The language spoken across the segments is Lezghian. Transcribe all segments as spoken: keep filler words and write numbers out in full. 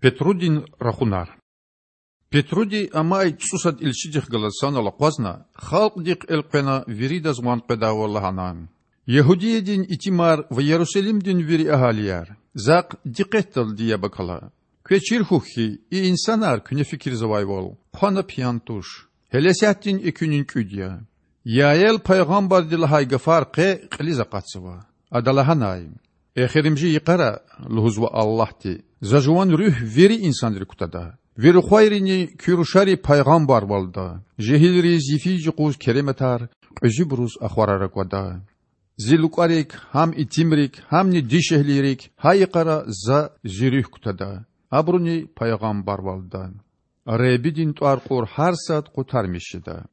Петрудин рахунар. Петруди амай цІусад илчидихъ галаз санал акъвазна, халкьдихъ элкъвена, виридаз ван къведайвал лагьана: Ягьудиядин итимар ва Ярусалимдин вири агьалияр! Захъ дикъетдалди яб акала. Квез чир хьухь хьи, и инсанар, куьне фикирзавайвал, хъвана пиян туш. Гьелесятдин экуьнин кІуьд я. Яэл пайгъамбарди лагьай гафар къе кьилиз акъатзава. Ада лагьанай: Эхиримжи йикъара,– лугьузва Аллагьди,– За Жуван Руьгь вири инсанрик кутада. Ви рухвайрини куь рушари пайгъамбарвалда, жегьилриз йифиз-юкъуз керематар, кьуьзуьбуруз ахварар аквада. Зи лукІарик, гьам итимрик, гьамни дишегьлийрик, гьа йикъара За Зи Руьгь кутада. Абуруни пайгъамбарвалда. Худадин тІвар кьур гьар сад къутармиш жеда.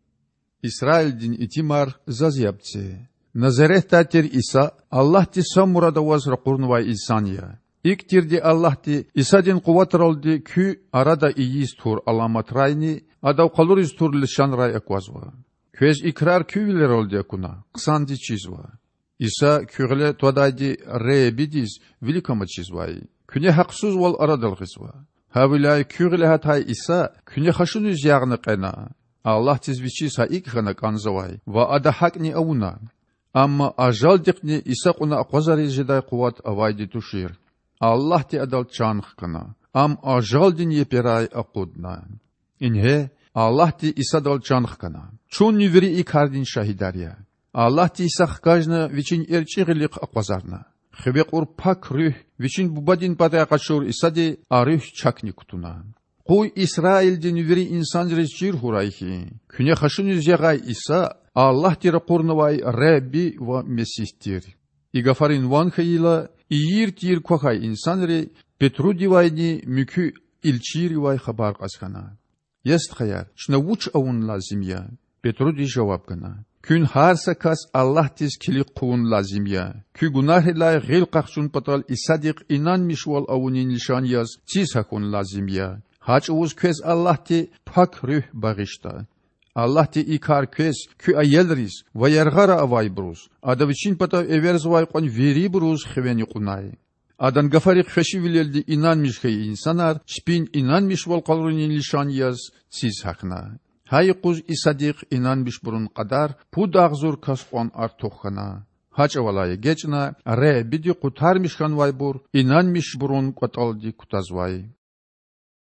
Исраилдин итимар, заз яб це. Назаретдай тир Иса Аллагьди са мурад аваз ракъурнавай инсан я. ИкІ тирди Аллагьди Исадин къуватралди куь арада ийиз тур аламатрайни Адав къалуриз тур лишанрай аквазва. Квез и крар куь вилералди акуна, хъсанди чизва. Иса куь гъиле твадайди Худадиз виликамаз чизвай. Куьне гьахъсузвал арадал гъизва. Гьавиляй куь гъиле гьатай Иса куьне хашуниз ягъна кьена. Аллагьдиз Вичиз гьа икІ хьана кІанзавай ва Ада гьакІни авуна. Амма ажалдихъни Иса кьуна акъвазариз жедай къуват авайди тушир. Аллагьди Адал чан хкана. Ам ажалдин еперай акъудна. Ингье, Аллагьди Исадал чан хкана. Чунни вири и кардин шагьидар я. Аллагьди Иса хкажна Вичин эрчІи гъилихъ акъвазарна. Хиве кьур Пак Руьгь, Вичин Бубадин патай къачур Исади а Руьгь чакни кутуна. Къуй Исраилдин вири инсанриз чир хьурай хьи, куьне хашуниз ягъай Иса Аллагьди ракъурнавай Худа ва Месигь тир. И гафарин ван хьайила, ийир-тийир квахьай инсанри Петрудивайни муькуь илчийривай хабар кьаз хьана: Я стхаяр, чна вуч авун лазим я? Петруди жаваб гана: Куьн гьар са кас Аллагьдиз килиг хъувун лазим я. Куь гунагьрилай гъил къахчун патал Исадихъ инанмишвал авунин лишан яз циз гьахьун лазим я. Гьа чІавуз квез Аллагьди Пак Руьгь багъишда. Аллагьди и кар квез, куь аялриз ва яргъара авайбуруз, Ада Вичин патав эверзавай кьван вирибуруз хивени кьунай. Адан гафарихъ хвешивилелди инанмиш хьайи инсанар чпин инанмишвал къалурунин лишан яз циз гьахьна. Гьа юкъуз Исадихъ инанмишбурун кьадар пуд агъзур кас кьван артух хьана. Гьа чІавалай эгечІна Худади къутармиш хьанвайбур инанмишбурун кІватІалди кутазвай.